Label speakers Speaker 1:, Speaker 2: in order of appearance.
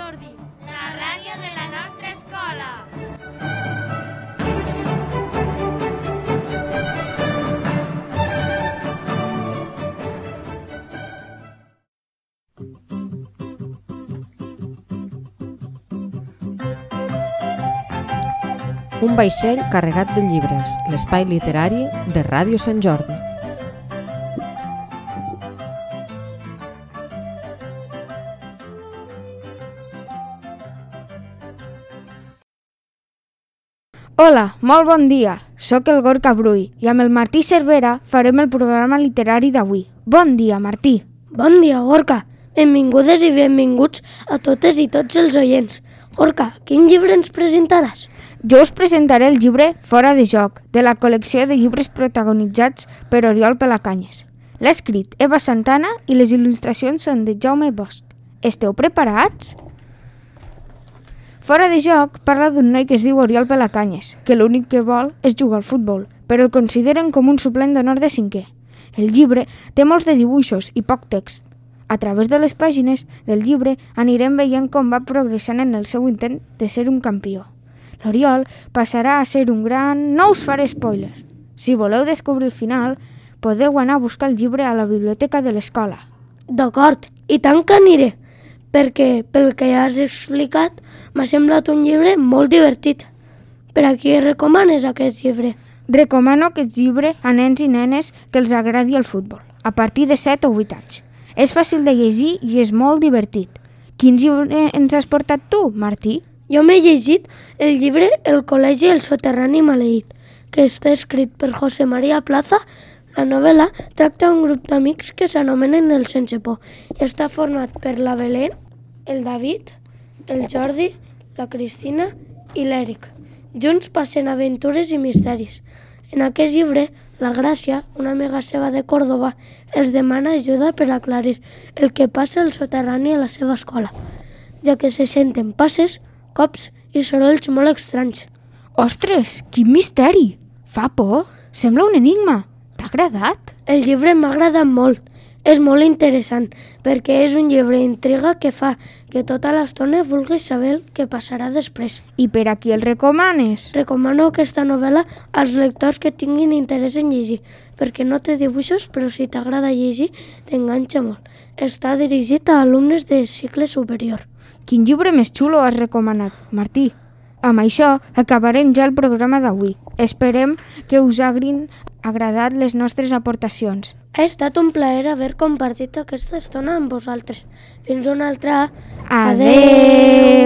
Speaker 1: Jordi, la ràdio de la nostra escola.
Speaker 2: Un vaixell carregat de llibres, l'espai literari de Ràdio Sant Jordi.
Speaker 3: Hola, molt bon dia. Soc el Gorka Brull i amb el Martí Cervera farem el programa literari d'avui. Bon dia, Martí.
Speaker 4: Bon dia, Gorka. Benvingudes i benvinguts a totes i tots els oients. Gorka, quin llibre ens presentaràs?
Speaker 3: Jo us presentaré el llibre Fora de joc, de la col·lecció de llibres protagonitzats per Oriol Pelacanyes. L'ha escrit Eva Santana i les il·lustracions són de Jaume Bosch. Esteu preparats? Fora de joc parla d'un noi que es diu Oriol Pelacanyes, que l'únic que vol és jugar al futbol, però el consideren com un suplent d'honor de cinquè. El llibre té molts de dibuixos i poc text. A través de les pàgines del llibre anirem veient com va progressant en el seu intent de ser un campió. L'Oriol passarà a ser un gran... No us faré spoiler. Si voleu descobrir el final, podeu anar a buscar el llibre a la biblioteca de l'escola.
Speaker 4: D'acord, i tant que aniré, perquè pel que ja has explicat m'ha semblat un llibre molt divertit. Per a qui recomanes aquest llibre?
Speaker 3: Recomano aquest llibre a nens i nenes que els agradi el futbol, a partir de 7 o 8 anys. És fàcil de llegir i és molt divertit. Quin llibre ens has portat tu, Martí?
Speaker 4: Jo m'he llegit el llibre El col·legi El soterrani maleït, que està escrit per José María Plaza. La novel·la tracta un grup d'amics que s'anomenen el Sense Por i està format per la Belén, el David, el Jordi, la Cristina i l'Eric. Junts passen aventures i misteris. En aquest llibre, la Gràcia, una amiga seva de Còrdova, els demana ajuda per aclarir el que passa al soterrani a la seva escola, ja que se senten passes, cops i sorolls molt estranys.
Speaker 3: Ostres, quin misteri! Fa por! Sembla un enigma! T'ha agradat?
Speaker 4: El llibre m'ha agradat molt. És molt interessant, perquè és un llibre d'intriga que fa que tota l'estona vulguis saber el que passarà després.
Speaker 3: I per a qui el recomanes?
Speaker 4: Recomano aquesta novel·la als lectors que tinguin interès en llegir, perquè no té dibuixos, però si t'agrada llegir, t'enganxa molt. Està dirigit a alumnes de cicle superior.
Speaker 3: Quin llibre més xulo has recomanat, Martí? Amb això acabarem ja el programa d'avui. Esperem que us hagin agradat les nostres aportacions.
Speaker 4: Ha estat un plaer haver compartit aquesta estona amb vosaltres. Fins una altra.
Speaker 3: Adeu!